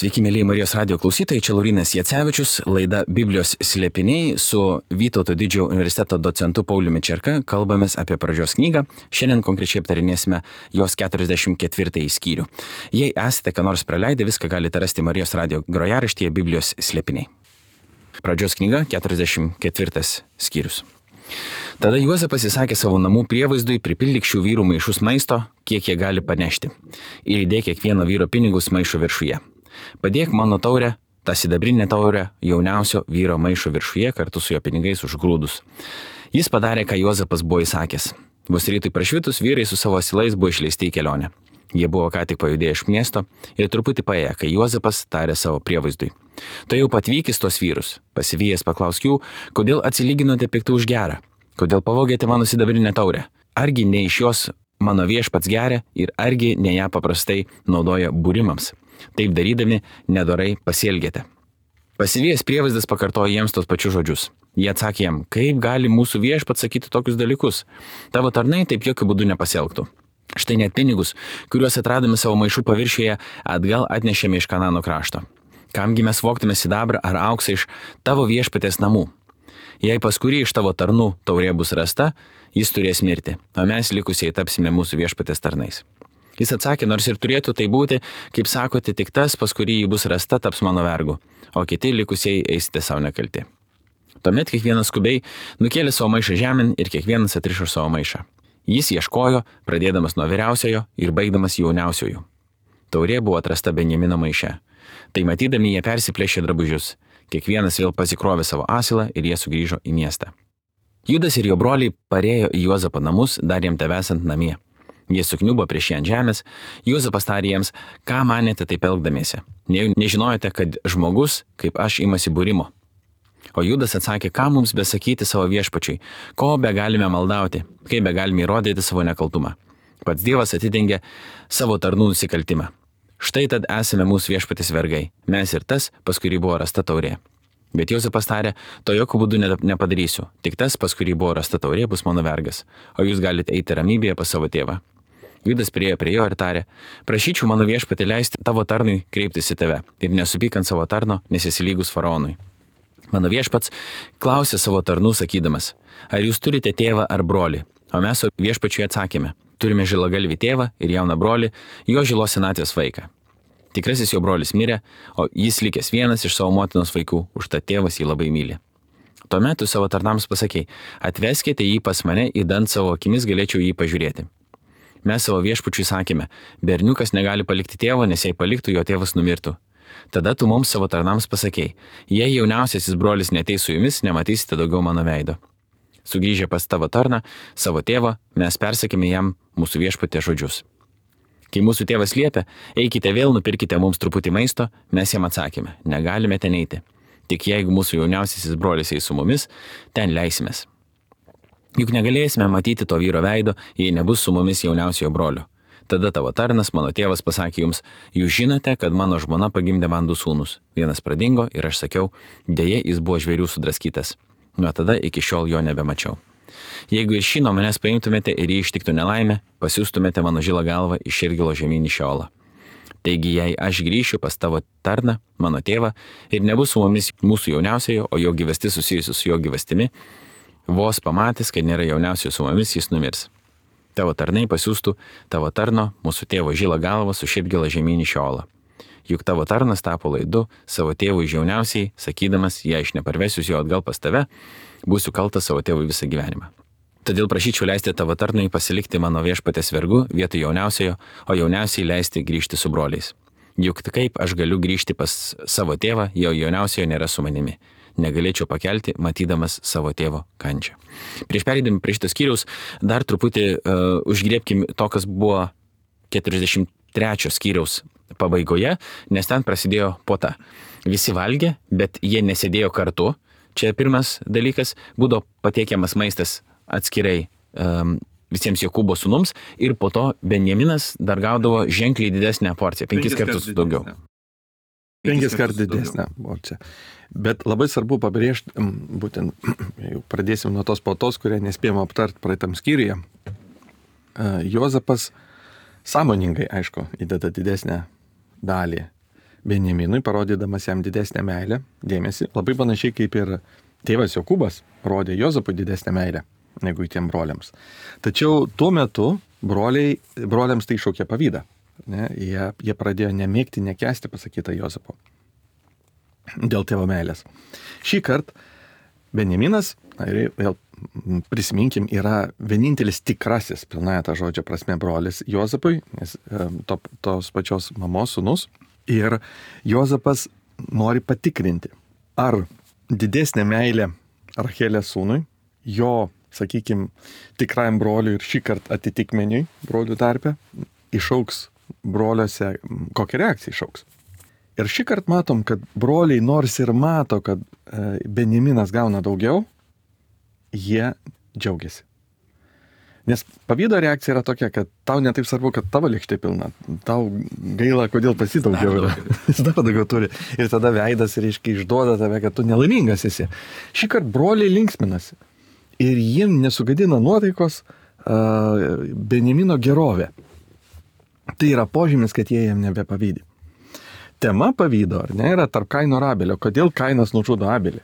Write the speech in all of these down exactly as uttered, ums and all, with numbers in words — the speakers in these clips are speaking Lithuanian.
Sveiki, mėlyje Marijos radijo klausytojai, čia Laurynas Jacevičius, laida Biblijos slėpiniai su Vytauto didžiojo universiteto docentu Pauliumi Čerka. Kalbamės apie pradžios knygą. Šiandien konkrečiai aptarinėsime jos keturiasdešimt ketvirtąjį skyrių. Jei esate ką nors praleidę, viską galite rasti Marijos radijo grojaraštyje Biblijos slėpiniai. Pradžios knyga, keturiasdešimt ketvirtas skyrius. Tada Juozapas įsakė savo namų prievaizdui: pripildyk šių vyrų maišus maisto, kiek jie gali panešti, ir įdėk kiekvieno vyro pinigus maišo viršuje. Padėk mano taurę, tą sidabrinę taurę, jauniausio vyro maišo viršuje kartu su jo pinigais už grūdus. Jis padarė, ką Juozapas buvo įsakęs. Vos rytui prašvitus vyrai su savo asilais buvo išleisti į kelionę. Jie buvo ką tik pajudėję iš miesto ir truputį paėję, kai Juozapas tarė savo prievaizdui: tu jau patvykis tos vyrus. Pasivijęs paklausk jų, kodėl atsilyginote piktų už gerą, kodėl pavogėte mano sidabrinę taurę. Argi ne iš jos mano viešpats geria ir argi ne ją paprastai naudoja būrimams. Taip darydami nedorai pasielgėte. Pasivijęs prievaizdas pakartojo jiems tos pačius žodžius. Jie atsakė jam: kaip gali mūsų viešpats sakyti tokius dalykus? Tavo tarnai taip jokių būdų nepasielgtų. Štai net pinigus, kuriuos atradome savo maišų paviršiuje, atgal atnešėme iš Kanano krašto. Kamgi mes vogtume sidabrą ar auksą iš tavo viešpatės namų? Jei pas kurį iš tavo tarnų taurė bus rasta, jis turės mirti, o mes likusieji tapsime mūsų viešpatės tarnais. Jis atsakė: nors ir turėtų tai būti, kaip sakote, tik tas, pas kurį jį bus rasta, taps mano vergu, o kiti likusieji eisite savo nekalti. Tuomet kiekvienas skubiai nukėlė savo maišą žemėn ir kiekvienas atrišo savo maišą. Jis ieškojo, pradėdamas nuo vyriausiojo ir baigdamas jauniausiojų. Taurė buvo atrasta Benjamino maiše. Tai matydami jie persiplėšė drabužius. Kiekvienas vėl pasikrovė savo asilą ir jie sugrįžo į miestą. Judas ir jo broliai parėjo į Juozapo namus, dar jam tebesant namie. Jie sukniubo prieš jį ant žemės. Juozapas tarė jiems: ką manėte taip elgdamiesi? Ne, nežinojate, kad žmogus, kaip aš, imasi būrimo? O Judas atsakė: ką mums besakyti savo viešpačiui? Ko be galime maldauti? Kaip be galime įrodyti savo nekaltumą? Pats Dievas atidengė savo tarnų nusikaltimą. Štai tad esame mūsų viešpatės vergai, mes ir tas, pas kurį buvo rasta taurė. Bet Juozapas tarė: to jokių būdų nepadarysiu, tik tas, pas kurį buvo rasta taurė, bus mano vergas, o jūs galite eiti ramybėje pas savo tėvą. Judas priėjo prie jo ir tarė: prašyčiau mano viešpatį leisti tavo tarnui kreiptis į tave ir nesupyk ant savo tarno, nes esi lygus faraonui. Mano viešpats klausė savo tarnų sakydamas: ar jūs turite tėvą ar brolį? O mes viešpačiui atsakėme: turime žilagalvį tėvą ir jauną brolį, jo žilos senatvės vaiką. Tikrasis jo brolis mirė, o jis likęs vienas iš savo motinos vaikų, užtat tėvas jį labai myli. Tuomet tu savo tarnams pasakei: atveskite jį pas mane, idant savo akimis galėčiau jį pažiūrėti. Mes savo viešpačiui sakėme: berniukas negali palikti tėvo, nes jei paliktų, jo tėvas numirtų. Tada tu mums savo tarnams pasakei: jei jauniausiasis brolis neateis su jumis, nematysite daugiau mano veido. Sugrįžę pas tavo tarną, savo tėvą, mes persakėme jam mūsų viešpatės žodžius. Kai mūsų tėvas liepė: eikite vėl, nupirkite mums truputį maisto, mes jam atsakėme: negalime ten eiti. Tik jeigu mūsų jauniausiasis brolis eis su mumis, ten leisimės. Juk negalėsime matyti to vyro veido, jei nebus su mumis jauniausiojo brolio. Tada tavo tarnas, mano tėvas, pasakė jums: jūs žinote, kad mano žmona pagimdė man du sūnus. Vienas pradingo ir aš sakiau: dėja, jis buvo žvėrių sudraskytas. Nuo tada iki šiol jo nebemačiau. Jeigu iš šį nuo manęs paimtumėte ir jį ištiktų nelaimė, pasiųstumėte mano žilą galvą iš Širgilo žemyn į Šeolą. Taigi, jei aš grįšiu pas tavo tarną, mano tėvą, ir nebus su mumis mūsų jauniausiojo, o jo gyvastis susijusi su jo gyvastimi, vos pamatęs, kad nėra jauniausiojo su mumis, jis numirs. Tavo tarnai pasiųstų tavo tarno, mūsų tėvo žilą galvą su Širgilo žemyn į Šeolą. Juk tavo tarnas tapo laidu savo tėvui jauniausiai, sakydamas: jei aš neparvesiu jo atgal pas tave, būsiu kaltas savo tėvui visą gyvenimą. Todėl prašyčiau leisti tavo tarnui pasilikti mano viešpatės vergu vietoj jauniausiojo, o jauniausiai leisti grįžti su broliais. Juk kaip aš galiu grįžti pas savo tėvą, jo jauniausiojo nėra su manimi. Negalėčiau pakelti, matydamas savo tėvo kančią. Prieš pereidami prie šitos skyriaus, dar truputį uh, užgriebkim to, kas buvo keturiasdešimt trečio skyriaus pabaigoje, nes ten prasidėjo puota. Visi valgė, bet jie nesėdėjo kartu. Čia pirmas dalykas, būdavo patiekiamas maistas atskirai um, visiems Jokūbo sūnums ir po to Benjaminas dar gaudavo ženkliai didesnę porciją, penkis, penkis kartus daugiau. Penkis kartus didesnę porciją. Bet labai svarbu pabrėžti, būtent, jau pradėsim nuo tos puotos, kurią nespėjome aptart praeitam skyriuje. Juozapas sąmoningai, aišku, įdeda didesnę dalį Benjaminui, parodydamas jam didesnę meilę, dėmesį, labai panašiai kaip ir tėvas Jokūbas rodė Juozapui didesnę meilę negu tiem broliams. Tačiau tuo metu broliai, broliams tai šaukė pavydą. Ne? Jie, jie pradėjo nemėgti, nekęsti pasakytą Juozapo dėl tėvo meilės. Šį kartą Benjaminas, ir vėl prisiminkim, yra vienintelis tikrasis, pilnąja tą žodžio prasme, brolis Juozapui, nes to, tos pačios mamos sūnus. Ir Juozapas nori patikrinti, ar didesnė meilė Rachelės sūnui, jo, sakykime, tikrajam broliui ir šį kartą atitikmeniui brolių tarpe, išauks broliuose, kokią reakciją išauks. Ir šį kartą matom, kad broliai nors ir mato, kad Benjaminas gauna daugiau, jie džiaugiasi. Nes pavydo reakcija yra tokia, kad tau netaip svarbu, kad tavo lėkštė pilna. Tau gaila, kodėl pasidaugiau yra. Jis dar daugiau turi. Ir tada veidas, reiškia, išduoda tave, kad tu nelaimingas esi. Šį kartą broliai linksminasi. Ir jiem nesugadina nuotaikos uh, Benjamino gerovė. Tai yra požymis, kad jie jam nebepavydi. Tema pavydo, ar ne, yra tarp Kaino ir Abelio. Kodėl Kainas nužudo Abelį?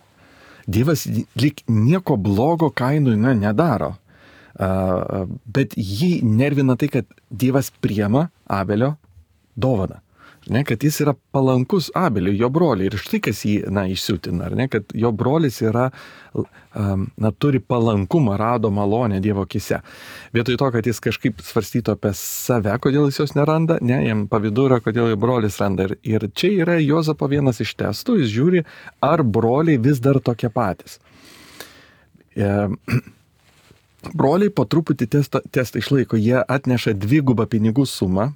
Dievas lyg nieko blogo Kainui na, nedaro. Uh, bet jį nervina tai, kad Dievas priema Abelio dovaną. Ne, kad jis yra palankus Abeliui, jo broliui. Ir štai kas jį na, išsiutina, ne, kad jo brolis yra, um, na, turi palankumą, rado malonę Dievo akise. Vietoj to, kad jis kažkaip svarstytų apie save, kodėl jis jos neranda, ne, jam pavydu yra, kodėl jo brolis randa. Ir, ir čia yra Juozapo vienas iš testų, jis žiūri, ar broliai vis dar tokie patys. E, Broliai po truputį testą, testą išlaiko, jie atneša dvigubą pinigų sumą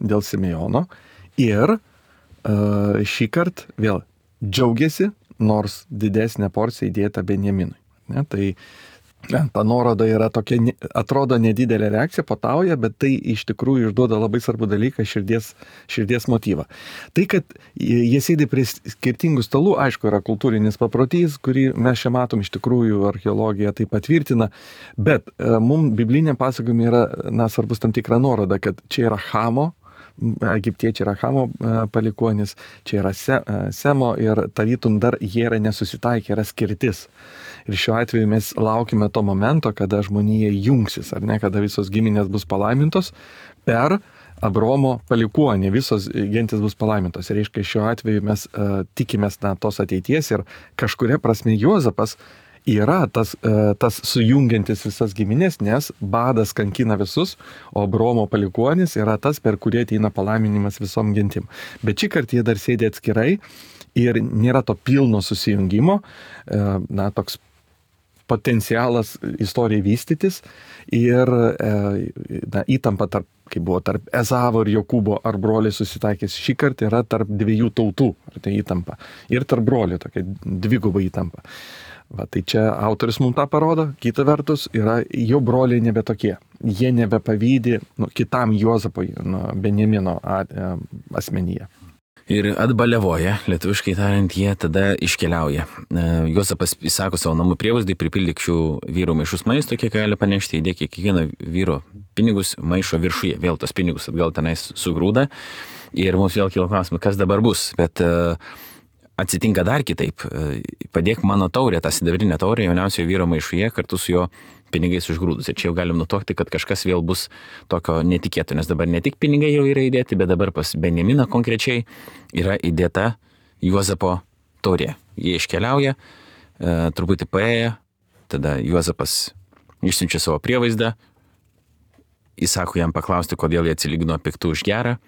dėl Simeono ir uh, šį kartą vėl džiaugiasi, nors didesnė porcija įdėta Benjaminui. Ne, tai ne, ta nuoroda yra tokia, atrodo nedidelė reakcija, patauja, bet tai iš tikrųjų išduoda labai svarbų dalyką, širdies, širdies motyvą. Tai, kad jie sėdi prie skirtingų stalų, aišku, yra kultūrinis paprotys, kurį mes čia matom, iš tikrųjų archeologija tai patvirtina, bet e, mums bibliniam pasakojimui yra na, svarbus tam tikra nuoroda, kad čia yra Chamo, egiptiečiai yra Chamo palikuonis, čia yra Se, Semo ir tarytum dar jie yra nesusitaikę, yra skirtis. Ir šiuo atveju mes laukime to momento, kada žmonija jungsis, ar ne, kada visos giminės bus palaimintos per Abraomo palikuonį, visos gentis bus palaimintos. Ir reiškia, šiuo atveju mes uh, tikimės na, tos ateities ir kažkuria prasme Juozapas yra tas, uh, tas sujungiantis visas giminės, nes badas kankina visus, o Abraomo palikuonis yra tas, per kurį ateina palaiminimas visom gentim. Bet šį kartą jie dar sėdi atskirai ir nėra to pilno susijungimo, uh, na, toks potencialas istorijai vystytis ir e, na, įtampa tarp, kaip buvo tarp Ezavo ir Jokūbo, ar broliai susitaikys, šį kartą yra tarp dviejų tautų, ar tai įtampa. Ir tarp brolių tokia dviguba įtampa. Va, tai čia autorius mums tą parodo, kita vertus yra jo broliai nebe tokie. Jie nebepavydi nu, kitam Juozapui, nu, Benjamino asmenyje. Ir atbalevoja, lietuviškai tariant, jie tada iškeliauja. Juozapas įsako savo namų prievaizdai, pripildyk šių vyrų maišus maisto, kiek gali panešti, įdėk kiekvieno vyro pinigus maišo viršuje, vėl tos pinigus atgal tenais sugrūda. Ir mums vėl kilo klausimas, kas dabar bus, bet uh, atsitinka dar kitaip. Padėk mano taurę, tą sidabrinę taurę jauniausiojo vyro maišuje kartu su jo pinigais užgrūdus. Ir čia jau galim nutokti, kad kažkas vėl bus tokio netikėto, nes dabar ne tik pinigai jau yra įdėti, bet dabar pas Benjaminą konkrečiai yra įdėta Juozapo taurė. Jie iškeliauja, e, truputį paėję, tada Juozapas išsiunčia savo prievaizdą, įsako jam paklausti, kodėl jie atsilygino piktų už gerą.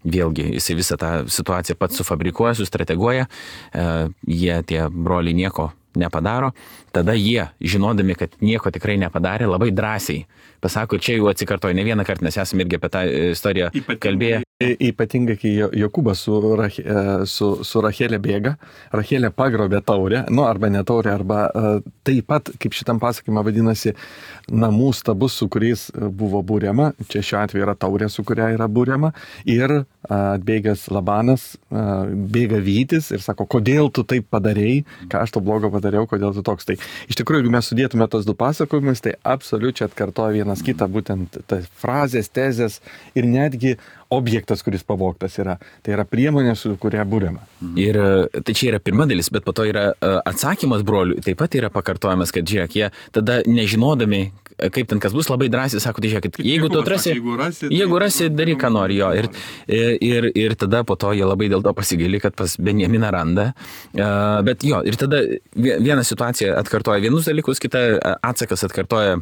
Vėlgi, jisai visą tą situaciją pats sufabrikuoja, sustrateguoja, e, jie tie broliai nieko nepadaro, tada jie, žinodami, kad nieko tikrai nepadarė, labai drąsiai pasako, čia jau atsikartoja ne vieną kartą, nes esame irgi apie tą istoriją kalbėję. Ypatingai, kai Jokūbas su, Rach, su, su Rachelė bėga, Rachelė pagrobė taurę, nu arba ne taurę, arba taip pat, kaip šitam pasakymą vadinasi, namų stabus, su kuriais buvo būriama, čia šiuo atveju yra taurė, su kuria yra būriama, ir atbėgęs Labanas bėga vytis ir sako, kodėl tu taip padarėjai, ką aš to blogo padariau, kodėl tu toks. Tai iš tikrųjų, jeigu mes sudėtume tos du pasakojimus, tai absoliučiai atkartoja vienas kitą, būtent tas frazės, tezės ir netgi objektas, kuris pavogtas yra. Tai yra priemonė, su kuria būrėma. Ir tai čia yra pirma dalis, bet po to yra atsakymas brolių, taip pat yra pakartojamas, kad žiūrėk, jie tada nežinodami, kaip ten kas bus, labai drąsiai sako, tai žiūrėk, jeigu tu atrasi, jeigu rasi, jeigu rasi, daryk ką nori jo. Ir, ir, ir tada po to jie labai dėl to pasigaili, kad pas Benjaminą randa. Bet jo, ir tada viena situacija atkartoja vienus dalykus, kita atsakas atkartoja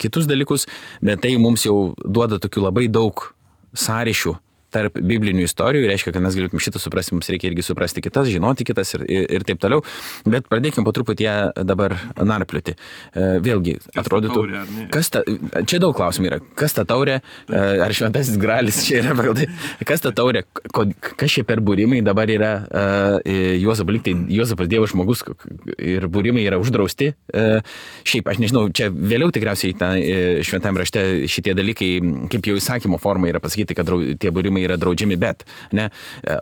kitus dalykus, bet tai mums jau duoda tokių labai daug sąryšių tarp biblinių istorijų, reiškia, kad mes galėtume šitą suprasti, mums reikia irgi suprasti kitas, žinoti kitas ir, ir, ir taip toliau, bet pradėkime po truputį ją dabar narplioti. Vėlgi, atrodytų, kas ta, čia daug klausimų yra, kas ta taurė, ar šventasis gralis čia yra, kas ta taurė, kas čia per būrimai dabar yra Juozapas, lyg tai Juozapas Dievo žmogus ir būrimai yra uždrausti. Šiaip, aš nežinau, čia vėliau tikriausiai ta, šventame rašte šitie dalykai, kaip jau įsakymo forma yra pasakyti, kad tie būrimai yra draudžiami, bet ne.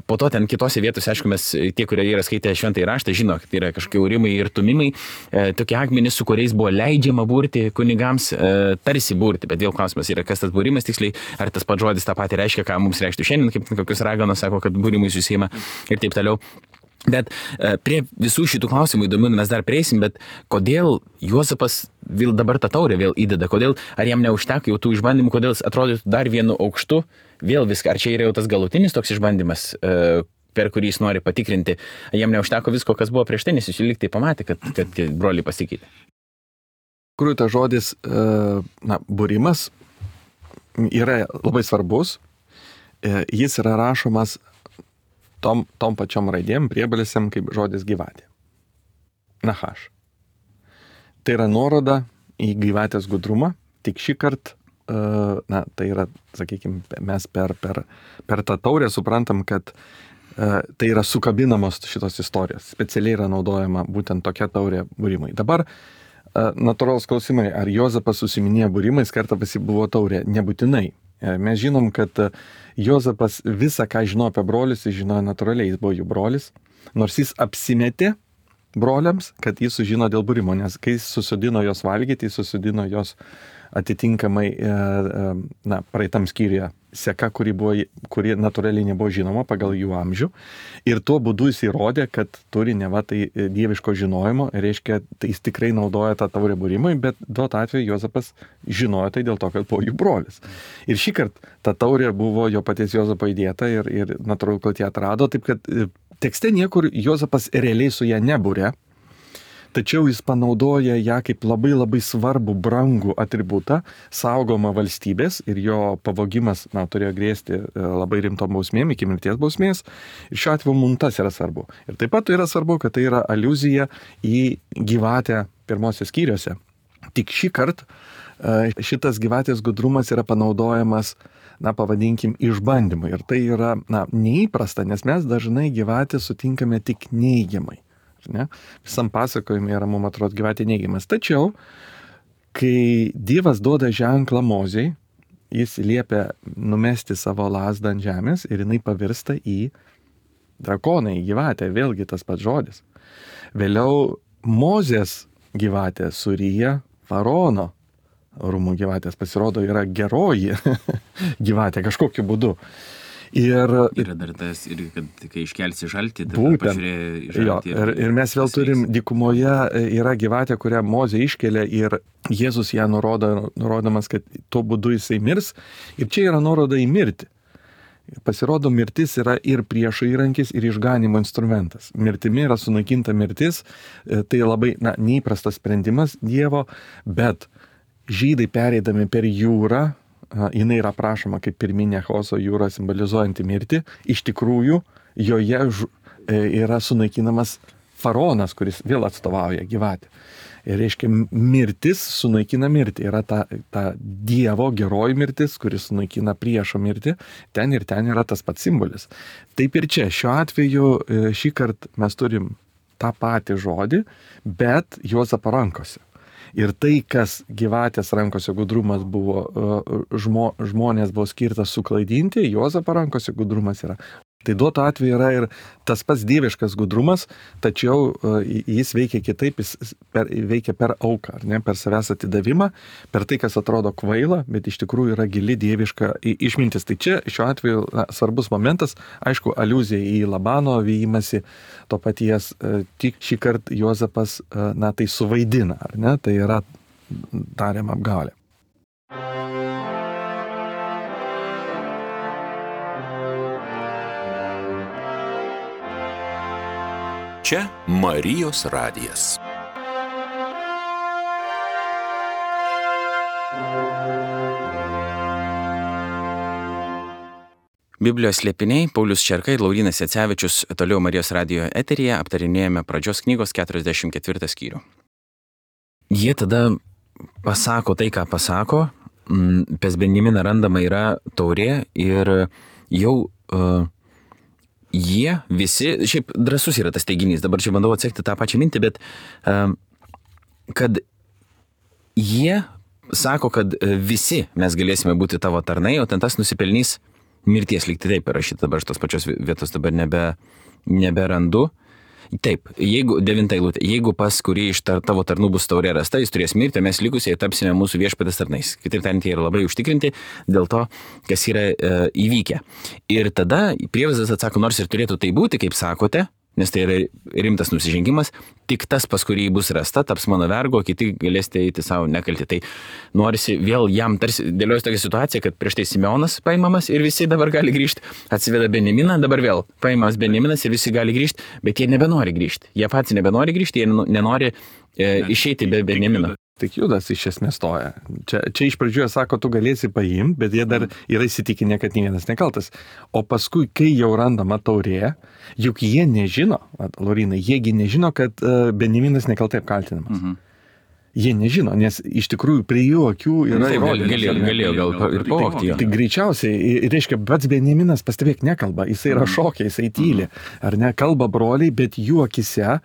Po to ten kitose vietose, aišku, mes tie, kurie yra skaitę šventąjį raštą, žino, kad yra kažkokie urimai ir tumimai, e, tokie akmenys, su kuriais buvo leidžiama būrti kunigams, e, tarsi būrti, bet vėl klausimas yra, kas tas būrimas tiksliai, ar tas pats žodis tą patį reiškia, ką mums reikštų šiandien, kaip kokius raganos sako, kad būrimai susima ir taip toliau. Bet e, prie visų šitų klausimų įdomių mes dar prieisim, bet kodėl Juozapas vėl dabar tą taurę vėl įdeda, kodėl, ar jam neužteko jau tų išbandymų, kodėl jis atrodytų dar vienu aukštu, vėl viską, ar čia yra jau tas galutinis toks išbandymas, e, per kurį jis nori patikrinti, jam neužteko visko, kas buvo prieš tai, nes jis lyg tai pamatė, kad, kad broliai pasikeitė. Kuriuo tas žodis, e, na, būrimas yra labai svarbus, e, jis yra rašomas tom, tom pačiom raidėm, priebalėsiam kaip žodis gyvatė. Nahaš. Tai yra nuoroda į gyvatės gudrumą, tik šį kartą, na, tai yra, sakykime, mes per, per, per tą taurę suprantam, kad tai yra sukabinamos šitos istorijos. Specialiai yra naudojama būtent tokia taurė būrimai. Dabar natūralus klausimai, ar Juozapas susiminėjo būrimais, kartą pasi buvo taurė? Nebūtinai. Mes žinom, kad Juozapas visą, ką žino apie brolius, jis žinojo natūraliai, jis buvo jų brolis, nors jis apsimetė broliams, kad jis sužino dėl būrimo, nes kai jis susodino jos valgyti, jis susodino jos atitinkamai, na, praeitam skyriuje seka, kuri, buvo, kuri natūraliai nebuvo žinoma pagal jų amžių. Ir tuo būdu jis įrodė, kad turi neva tai dieviško žinojimo, reiškia, tai jis tikrai naudoja tą taurę būrimui, bet duot atveju Juozapas žinojo tai dėl to, kad buvo jų brolis. Ir šį kartą ta taurė buvo jo paties Juozapo įdėta ir, ir natūralu, kad ją atrado, taip kad tekste niekur Juozapas realiai su ją nebūrė, tačiau jis panaudoja ją kaip labai labai svarbų, brangų atributą, saugomą valstybės ir jo pavogimas, na, turėjo grėsti labai rimtom bausmėm, iki mirties bausmės. Ir šiuo atveju mums tas yra svarbu. Ir taip pat yra svarbu, kad tai yra aliuzija į gyvatę pirmosios skyriuose. Tik šį kartą šitas gyvatės gudrumas yra panaudojamas, na, pavadinkim, išbandymui. Ir tai yra, na, neįprasta, nes mes dažnai gyvatę sutinkame tik neigiamai. Ne? Visam pasakojime yra, mums atrodo, gyvatė neigiamas. Tačiau, kai Dievas duoda ženklą Mozei, jis liepia numesti savo lazdą ant žemės ir jinai pavirsta į drakoną, į gyvatę, vėlgi tas pats žodis. Vėliau Mozės gyvatė suryja Faraono rūmų gyvatės, pasirodo, yra geroji gyvatė kažkokiu būdu. Ir, yra dar tas, ir kad kai iškelsi žaltį, tai pažiūrėjai žaltį. Jo, ir, ir mes vėl turim dykumoje, yra gyvatė, kurią Mozė iškelia ir Jėzus ją nurodo, nurodamas, kad tuo būdu jisai mirs. Ir čia yra nuoroda į mirtį. Pasirodo, mirtis yra ir priešo įrankis, ir išganimo instrumentas. Mirtimi yra sunaikinta mirtis, tai labai, na, neįprastas sprendimas Dievo, bet žydai pereidami per jūrą, jinai yra aprašoma kaip pirminė Chaoso jūra simbolizuojanti mirtį. Iš tikrųjų, joje yra sunaikinamas faraonas, kuris vėl atstovauja gyvatę. Ir reiškia, mirtis sunaikina mirtį. Yra ta, ta Dievo geroji mirtis, kuris sunaikina priešo mirtį. Ten ir ten yra tas pats simbolis. Taip ir čia. Šiuo atveju šį kartą mes turim tą patį žodį, bet Juozapo rankose. Ir tai, kas gyvatės rankose gudrumas buvo, žmo, žmonės buvo skirtas suklaidinti, Juozapo rankose gudrumas yra Tai duoto atveju yra ir tas pats dieviškas gudrumas, tačiau jis veikia kitaip, jis per, veikia per auką, ar ne, per savęs atidavimą, per tai, kas atrodo kvaila, bet iš tikrųjų yra gili dieviška išmintis. Tai čia šiuo atveju na, svarbus momentas, aišku, aliuzija į Labano vijimąsi to paties, tik šį kartą Juozapas, na, tai suvaidina, ar ne, tai yra tariama apgaulė. Čia Marijos radijas. Biblijos slėpiniai, Paulius Čerka ir Laurynas Jacevičius toliau Marijos radijo eteryje aptarinėjame pradžios knygos keturiasdešimt ketvirtą skyrių. Jie tada pasako tai, ką pasako, pas Benjaminą randama yra taurė ir jau uh, jie visi, šiaip drąsus yra tas teiginys, dabar čia bandau atsekti tą pačią mintį, bet um, kad jie sako, kad visi mes galėsime būti tavo tarnai, o ten tas nusipelnys mirties, lyg tai taip parašyta, dabar aš tos pačios vietos dabar nebe, neberandu. Taip, jeigu, devinta eilutė, jeigu pas kurį iš tar, tavo tarnų bus taurė rasta, jis turės mirti, o mes likusiai tapsime mūsų viešpatės tarnais. Kitaip tariant, jie yra labai užtikrinti dėl to, kas yra e, įvykę. Ir tada prievaizdas atsako, nors ir turėtų tai būti, kaip sakote, nes tai yra rimtas nusižengimas, tik tas, pas kurį bus rasta, taps mano vergo, kiti galėsite eiti savo nekalti. Tai norisi vėl jam tarsi dėliojus tokią situaciją, kad prieš tai Simeonas paimamas ir visi dabar gali grįžti, atsiveda Benjaminą, dabar vėl paimamas Benjaminas ir visi gali grįžti, bet jie nebenori grįžti. Jie patys nebenori grįžti, jie nenori e, išeiti be Benjamino. Tik Judas iš esmės stoja. Čia, čia iš pradžių jie sako, tu galėsi paimti, bet jie dar yra įsitikinę, kad nė vienas nekaltas. O paskui, kai jau randama taurė, juk jie nežino, Laurinai, jiegi nežino, kad uh, Benjaminas nekaltai apkaltinamas. Mhm. Jie nežino, nes iš tikrųjų prie jų akių yra įrodymas. Galėjo, galėjo gal ir pavogti jo. Tai greičiausiai, reiškia, pats Benjaminas pastebėk nekalba, jisai yra šokiai, jisai tyli, ar ne, kalba broliai, bet jų akise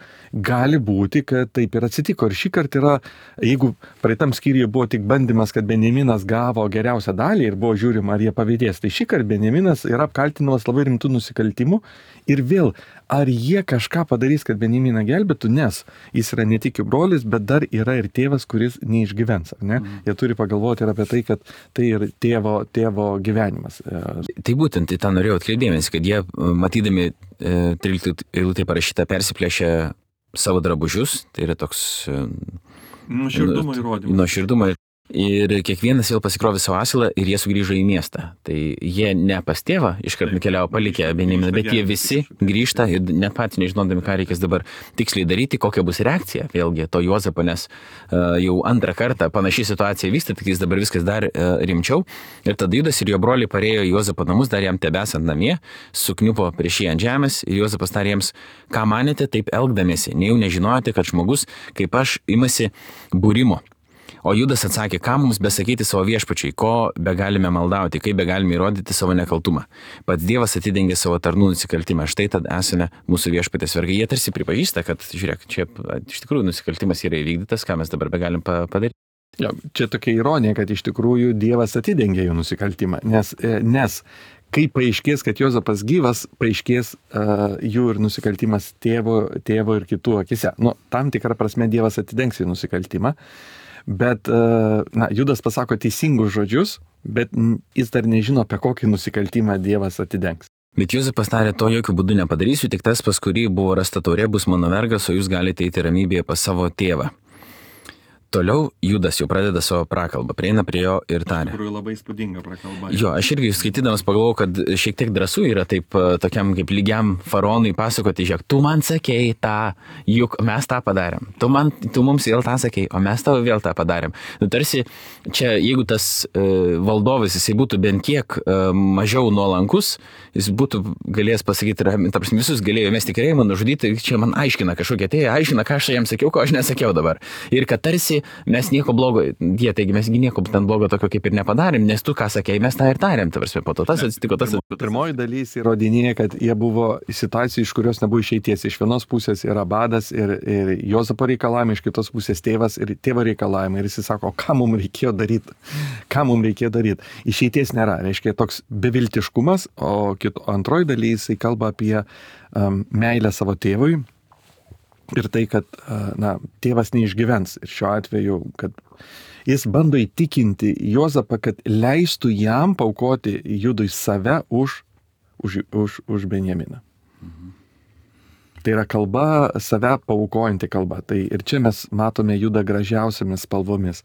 gali būti, kad taip ir atsitiko. Ir šį kartą yra, jeigu praeitam skyriuje buvo tik bandymas, kad Benjaminas gavo geriausią dalį ir buvo žiūrima, ar jie pavydės, tai šį kartą Benjaminas yra apkaltinamas labai rimtų nusikaltimų ir vėl, ar jie kažką padarys, kad Benjaminą gelbėtų, nes jis yra ne tik jų brolis, bet dar yra ir tėvas, kuris neišgyvens, ar ne? Mm. Jie turi pagalvoti ir apie tai, kad tai ir tėvo, tėvo gyvenimas. Tai būtent į tą norėjau atkreipdėmės, kad jie, matydami e, tryliktą eilutę parašytą, persiplėšė savo drabužius, tai yra toks e, nuoširdumo įrodymas. Nuoširdumo ir kiekvienas vėl pasikrovė savo asilą ir jie sugrįžo į miestą. Tai jie ne pas tėvą iškart nukeliavo palikę Benjaminą, bet jie visi grįžta ir net patys nežinodami, ką reikės dabar tiksliai daryti, kokia bus reakcija vėlgi to Juozapo, nes uh, jau antrą kartą panaši situacija vyksta, tik jis dabar viskas dar uh, rimčiau. Ir tada Judas ir jo broliai parėjo į Juozapo namus, dar jam tebesant namie, sukniupo prieš jį ant žemės ir Juozapas tarė jiems, ką manėte taip elgdamiesi, nejau nežinojote, kad žmogus kaip aš imasi būrimo. O Judas atsakė, ką mums besakyti savo viešpačiai, ko begalime maldauti, kaip begalime įrodyti savo nekaltumą. Pats Dievas atidengė savo tarnų nusikaltimą, štai tad esame mūsų viešpatės vergai. Jie tarsi pripažįsta, kad, žiūrėk, čia iš tikrųjų nusikaltimas yra įvykdytas, ką mes dabar begalim padaryti. Jo, čia tokia ironija, kad iš tikrųjų Dievas atidengė jų nusikaltimą, nes, nes kai paaiškės, kad Juozapas gyvas, paaiškės uh, jų ir nusikaltimas tėvo, tėvo ir kitų akise. Nu, tam tikrą prasme Dievas atidengs jų nusikaltimą. Bet na, Judas pasako teisingus žodžius, bet jis dar nežino, apie kokį nusikaltimą Dievas atidengs. Bet Juozapas tarė, to jokių būdų nepadarysiu, tik tas, pas kurį buvo rasta taurė, bus mano vergas, o jūs galite eiti ramybėje pas savo tėvą. Toliau Judas jau pradeda savo prakalbą, prieina prie jo ir tarė. Iš tikrųjų labai įspūdinga prakalba. Jo, aš irgi skaitydamas pagalvojau, kad šiek tiek drąsų yra taip tokiam kaip lygiam faraonui pasakoti, žiūrėk, tu man sakei tą, juk mes tą padarėm. Tu, man, tu mums vėl tą sakei, o mes tau vėl tą padarėm. Nu, tarsi čia, jeigu tas uh, valdovas, jisai būtų bent kiek uh, mažiau nuolankus, jis būtų galėjęs pasakyti, ta prasme, visus galėjo mesti kalėjimą, nužudyti, čia man aiškina kažkokie, tai aiškina, ką aš jam sakiau, ko aš nesakiau dabar. Ir kad tarsi mes nieko blogo, jie, taigi mes nieko ten blogo tokio kaip ir nepadarėm, nes tu ką sakei, mes tą ir tarėm, ta prasme, po to tas atsitiko, tas atsitiko. Pirmoji dalys įrodinėja, kad jie buvo situacijų, iš kurios nebuvo išeities. Iš vienos pusės yra badas ir, ir Jozapo reikalavimai, iš kitos pusės tėvas ir tėvo reikalavimai. Ir jis sako, ką mums reikėjo daryti, ką mums reikėjo daryti. Išeities nėra, reiškia toks beviltiškumas, o kito, antroji dalys jisai kalba apie um, meilę savo tėvui. Ir tai, kad na, tėvas neišgyvens. Ir šiuo atveju, kad jis bando įtikinti Jozapą, kad leistų jam paukoti Judui save už, už, už, už Benjaminą. Mhm. Tai yra kalba, save paukojanti kalba. Tai ir čia mes matome Judą gražiausiamis spalvomis.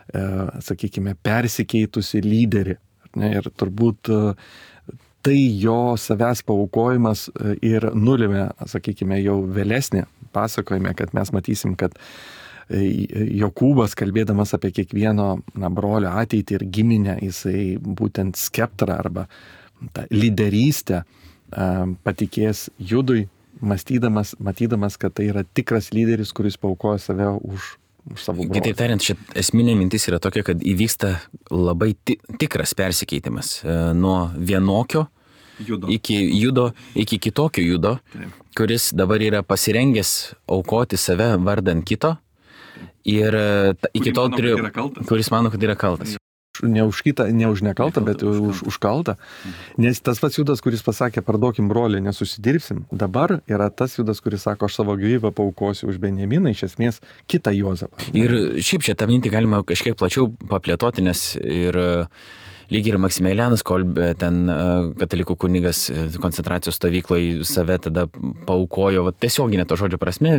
E, sakykime, persikeitusi lyderį. Ne, ir turbūt tai jo savęs paukojimas ir nulėmė, sakykime, jau vėlesnį pasakojime, kad mes matysim, kad Jokūbas, kalbėdamas apie kiekvieno na, brolio ateitį ir giminę, jisai būtent skeptrą arba tą lyderystę patikės Judui, mąstydamas, matydamas, kad tai yra tikras lyderis, kuris paukoja save už už savo brolį. Kitaip tariant, šit esminė mintis yra tokia, kad įvyksta labai ti tikras persikeitimas e, nuo vienokio judo. Iki judo, iki kitokio judo, Taip. Kuris dabar yra pasirengęs aukoti save vardant kito ir ta, iki tol turiu, kuris mano, kad yra kaltas. Ne už kitą, ne už nekaltą, bet už, už kaltą. Nes tas pats Judas, kuris pasakė, parduokim brolį, nesusidirbsim, dabar yra tas Judas, kuris sako, aš savo gyvybę paaukosiu už Benjaminą, iš esmės kitą Jozapą. Ir šiaip čia tą mintį galima kažkiek plačiau paplėtoti, nes ir lyg ir Maksimilianas Kolbė, ten katalikų kunigas koncentracijos stovykloje save tada paaukojo, va, tiesioginė to žodžio prasme,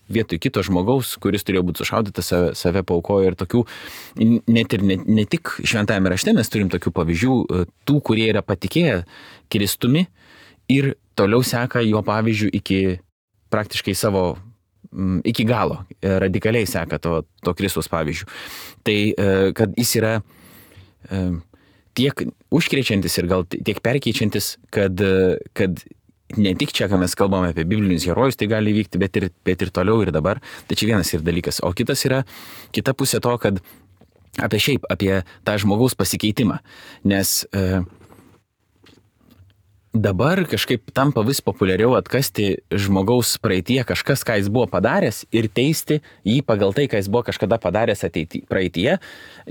vietoj kito žmogaus, kuris turėjo būti sušaudytas, save, save paaukojo ir tokių, net ir ne, ne tik šventajame rašte mes turim tokių pavyzdžių, tų, kurie yra patikėję Kristumi ir toliau seka jo pavyzdžių iki praktiškai savo, iki galo, radikaliai seka to, to Kristaus pavyzdžių. Tai, kad jis yra tiek užkrečiantis ir gal tiek perkeičiantis, kad, kad ne tik čia, ką mes kalbame apie biblinius herojus, tai gali vykti, bet ir, bet ir toliau ir dabar. Tai čia vienas ir dalykas. O kitas yra, kita pusė to, kad apie šiaip, apie tą žmogaus pasikeitimą. Nes e, dabar kažkaip tampa vis populiariau atkasti žmogaus praeitie kažkas, ką jis buvo padaręs ir teisti jį pagal tai, ką jis buvo kažkada padaręs ateity, praeitie,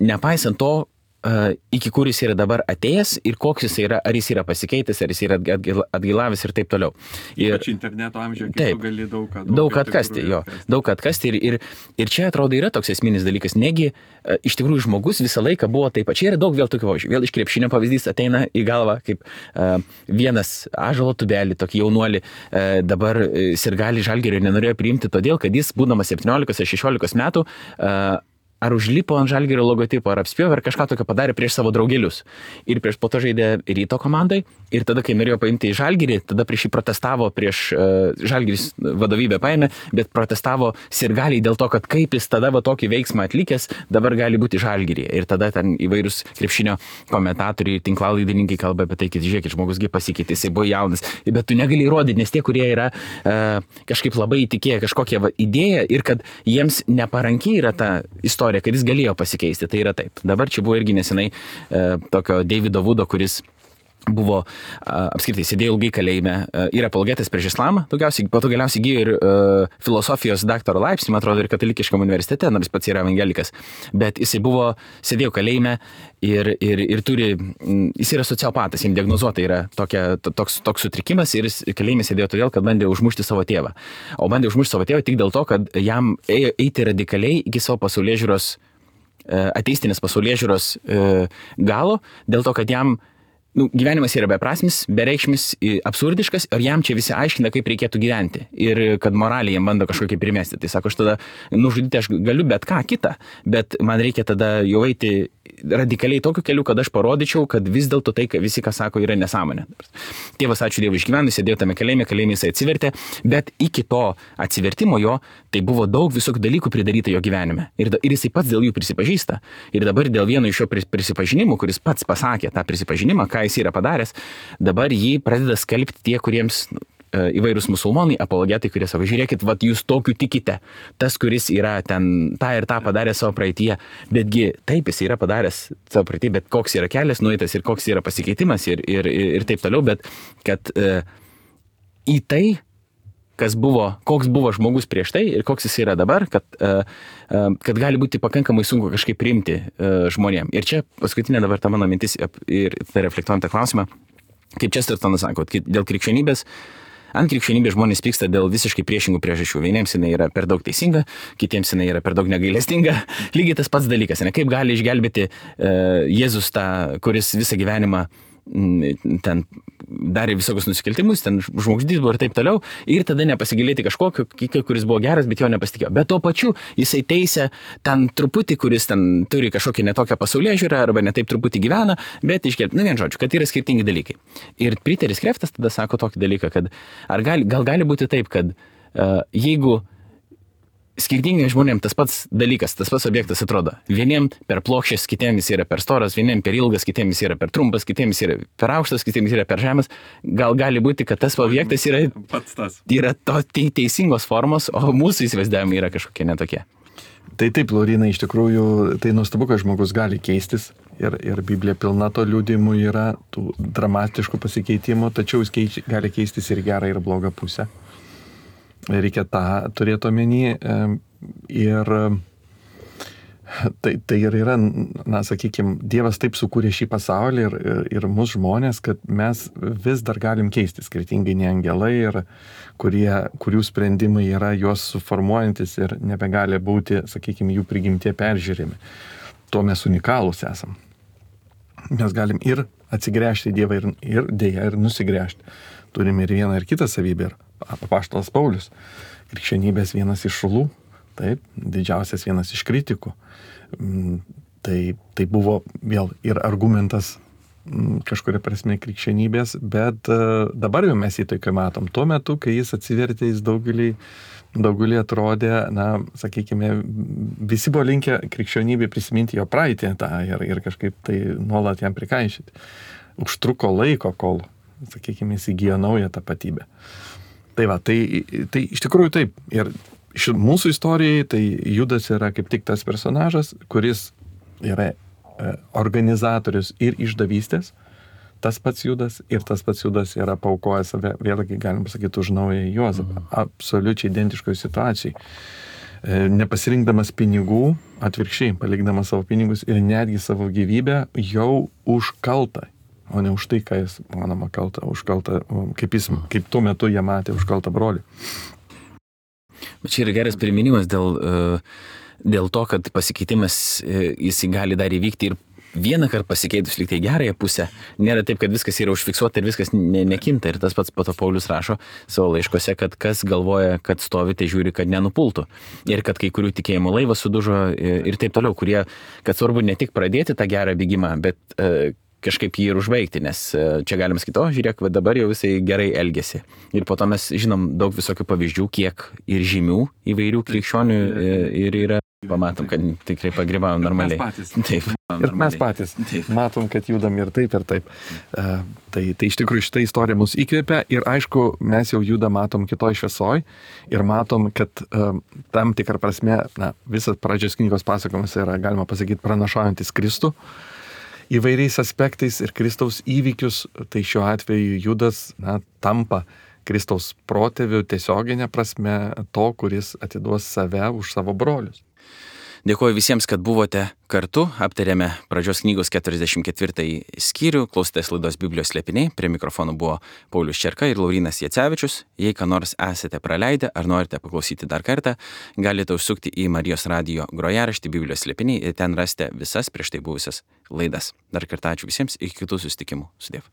nepaisant to, Uh, iki kur jis yra dabar atėjęs ir koks jis yra, ar jis yra pasikeitęs, ar jis yra atgailavęs ir taip toliau. Ir ypač interneto amžiuje, kai tu gali daug ką daug, daug atkasti, jo, atkasti. daug atkasti ir, ir, ir čia atrodo yra toks esminis dalykas, negi uh, iš tikrųjų žmogus visą laiką buvo taip pat, čia yra daug vėl tokių pavyzdžių, vėl iš krepšinio pavyzdys ateina į galvą, kaip uh, vienas ąžuolo tubelį, tokį jaunuolį, uh, dabar uh, sirgalį Žalgirio nenorėjo priimti todėl, kad jis, būdamas septyniolikos ar šešiolikos metų, uh, ar užlipo ant Žalgirio logotipo, ar apspjovė, ar kažką tokio padarė prieš savo draugelius. Ir prieš po to žaidė Ryto komandai. Ir tada, kai norėjo paimti į Žalgirį, tada prieš jį protestavo, prieš uh, Žalgiris vadovybę paėmė, bet protestavo sirgaliai dėl to, kad kaip jis tada va tokį veiksmą atlikęs, dabar gali būti Žalgiryje. Ir tada ten įvairūs krepšinio komentatoriai, tinklalaidininkai kalba apie tai, kad žiūrėkit, žmogus gi pasikeitė, jisai buvo jaunas. Bet tu negali įrodyti, nes tie, kurie yra uh, kažkaip labai įtikėję kažkokią va, idėją ir kad jiems neparankiai yra ta istorija, kad jis galėjo pasikeisti, tai yra taip. Dabar čia buvo irgi nesenai e, tokio Davido Vudo, kuris buvo a, apskritai sėdėjo ilgai kalėjime, a, yra apologetas prieš islamą, daugiausiai, po to galiausiai įgijo ir a, filosofijos daktaro laipsnį, man atrodo, ir katalikiškam universitete, nors pats yra evangelikas, bet jisai buvo, sėdėjo kalėjime ir, ir, ir turi, jis yra sociopatas, jam diagnozuota yra tokia, toks, toks sutrikimas ir jis kalėjime sėdėjo todėl, kad bandė užmušti savo tėvą. O bandė užmušti savo tėvą tik dėl to, kad jam ėjo eiti radikaliai iki savo pasaulėžiūros, ateistinės pasaulėžiūros galo, dėl to, kad jam nu, gyvenimas yra beprasmis, bereikšmis, absurdiškas ir jam čia visi aiškina, kaip reikėtų gyventi ir kad moraliai jam bando kažkokį primesti. Tai sako, aš tada nužudyti aš galiu bet ką kitą, bet man reikia tada jau eiti radikaliai tokiu keliu, kad aš parodyčiau, kad vis dėlto tai, visi, ką sako, yra nesąmonė. Tėvas, ačiū Dievui, išgyveno, sėdėjo tame kalėjime, kalėjime jisai atsivertė, bet iki to atsivertimo jo, tai buvo daug visokių dalykų pridaryta jo gyvenime. Ir, ir jisai pats dėl jų prisipažįsta. Ir dabar dėl vieno iš jo prisipažinimų, kuris pats pasakė tą prisipažinimą, ką jis yra padaręs, dabar jį pradeda skelbti tie, kuriems įvairūs musulmonai, apologetai, kurie savo, žiūrėkit, vat jūs tokiu tikite, tas, kuris yra ten tą ir tą padarė savo praeityje, betgi taip jis yra padaręs savo praeityje, bet koks yra kelias nueitas ir koks yra pasikeitimas ir, ir, ir taip toliau, bet kad e, į tai, kas buvo, koks buvo žmogus prieš tai ir koks jis yra dabar, kad, e, e, kad gali būti pakankamai sunku kažkaip priimti e, žmonėm. Ir čia paskutinė dabar ta mano mintis ir reflektuojant tą klausimą, kaip Chestertonas sako, dėl krikščionybės, ant krikščionybės žmonės pyksta dėl visiškai priešingų priežasčių. Vieniems jinai yra per daug teisinga, kitiems jinai yra per daug negailestinga. Lygiai tas pats dalykas, ne? Kaip gali išgelbėti uh, Jėzus tą, kuris visą gyvenimą m, ten darė visokius nusikaltimus, ten žmogžudys buvo ir taip toliau, ir tada nepasigilėti kažkokio, kuris buvo geras, bet jo nepasitikėjo. Bet tuo pačiu jisai teisė ten truputį, kuris ten turi kažkokią netokią pasaulėžiūrą arba netaip truputį gyvena, bet išgelbėti, nu vien žodžiu, kad yra skirtingi dalykai. Ir Piteris Kreftas tada sako tokį dalyką, kad ar gali, gal gali būti taip, kad uh, jeigu skirtingai žmonėm tas pats dalykas, tas pats objektas atrodo. Vieniem per plokščias, kitiems jis yra per storas, vieniem per ilgas, kitiems jis yra per trumpas, kitiems jis yra per aukštas, kitiems yra per žemas. Gal gali būti, kad tas objektas yra, yra to teisingos formos, o mūsų įsivaizdavimai yra kažkokie netokie. Tai taip, Laurina, iš tikrųjų, tai nuostabu, kad žmogus gali keistis ir, ir Biblija pilna to liudijimų yra, tų dramatiškų pasikeitimų, tačiau jis keič, gali keistis ir gerą, ir blogą pusę. Reikia tą turėti omeny ir tai, tai ir yra, na, sakykime, Dievas taip sukūrė šį pasaulį ir, ir, ir mūsų žmonės, kad mes vis dar galim keisti, skirtingai nei angelai, ir kurie, kurių sprendimai yra juos suformuojantis ir nebegali būti, sakykime, jų prigimtie peržiūrimi. Tuo mes unikalūs esam. Mes galim ir atsigręžti į Dievą ir, ir dėja ir nusigręžti. Turime ir vieną ir kitą savybę. Ir apaštalas Paulius, krikščionybės vienas iš šulų, taip, didžiausias vienas iš kritikų. Tai, tai buvo vėl ir argumentas kažkuria prasme krikščionybės, bet dabar jau mes jį tokią matom. Tuo metu, kai jis atsivertė, jis daugelį, daugelį atrodė, na, sakykime, visi buvo linkę krikščionybė prisiminti jo praeitį tą ir, ir kažkaip tai nuolat jam prikaišyti. Užtruko laiko, kol, sakykime, įsigijo naują tapatybę. Tai va, tai, tai iš tikrųjų taip. Ir ši, mūsų istorijai tai Judas yra kaip tik tas personažas, kuris yra e, organizatorius ir išdavystės. Tas pats Judas ir tas pats Judas yra paukoję save, vėlgi galim pasakyti, už naują Juozapą. Absoliučiai identiškoje situacijai. E, nepasirinkdamas pinigų, atvirkščiai, palikdamas savo pinigus ir netgi savo gyvybę jau už kaltą. O ne už tai, ką jis, manoma, kalta, už kaltą, kaip, jis, kaip tuo metu jie matė už kaltą brolį. Bet čia yra geras priminimas dėl, dėl to, kad pasikeitimas jis gali dar įvykti ir vieną kartą pasikeitus lyg tai gerąją pusę. Nėra taip, kad viskas yra užfiksuota ir viskas ne, nekinta. Ir tas pats po to Paulius rašo savo laiškose, kad kas galvoja, kad stovite, žiūri, kad nenupultų. Ir kad kai kurių tikėjimų laivas sudužo ir taip toliau, kurie, kad svarbu ne tik pradėti tą gerą bėgimą, bet kažkaip jį ir užbaigti, nes čia galim sakyti, o žiūrėk, dabar jau visai gerai elgesi. Ir po to mes žinom daug visokių pavyzdžių, kiek ir žymių įvairių krikščionių ir yra. Pamatom, kad tikrai pagrybavom normaliai. Mes patys. Taip. Ir mes patys. Taip. Matom, kad judam ir taip, ir taip. Uh, tai, tai iš tikrųjų šitą istoriją mus įkvėpia ir aišku, mes jau judam, matom kitoj šviesoj ir matom, kad uh, tam tikrą prasme, na, visas pradžios knygos pasakojimas yra, galima pasakyti, pranašaujantis Kristų įvairiais aspektais ir Kristaus įvykius, tai šiuo atveju Judas, na, tampa Kristaus protėviu tiesioginė prasme to, kuris atiduos save už savo brolius. Dėkuoju visiems, kad buvote kartu. Aptarėme pradžios knygos keturiasdešimt ketvirtąjį skyrių. Klausotės laidos Biblijos slėpiniai. Prie mikrofonų buvo Paulius Čerka ir Laurynas Jacevičius. Jei ką nors esate praleidę ar norite paklausyti dar kartą, galite užsukti į Marijos radijo grojaraštį Biblijos slėpiniai ir ten rasite visas prieš tai buvusias laidas. Dar kartą ačiū visiems, iki kitų susitikimų. Sudiev.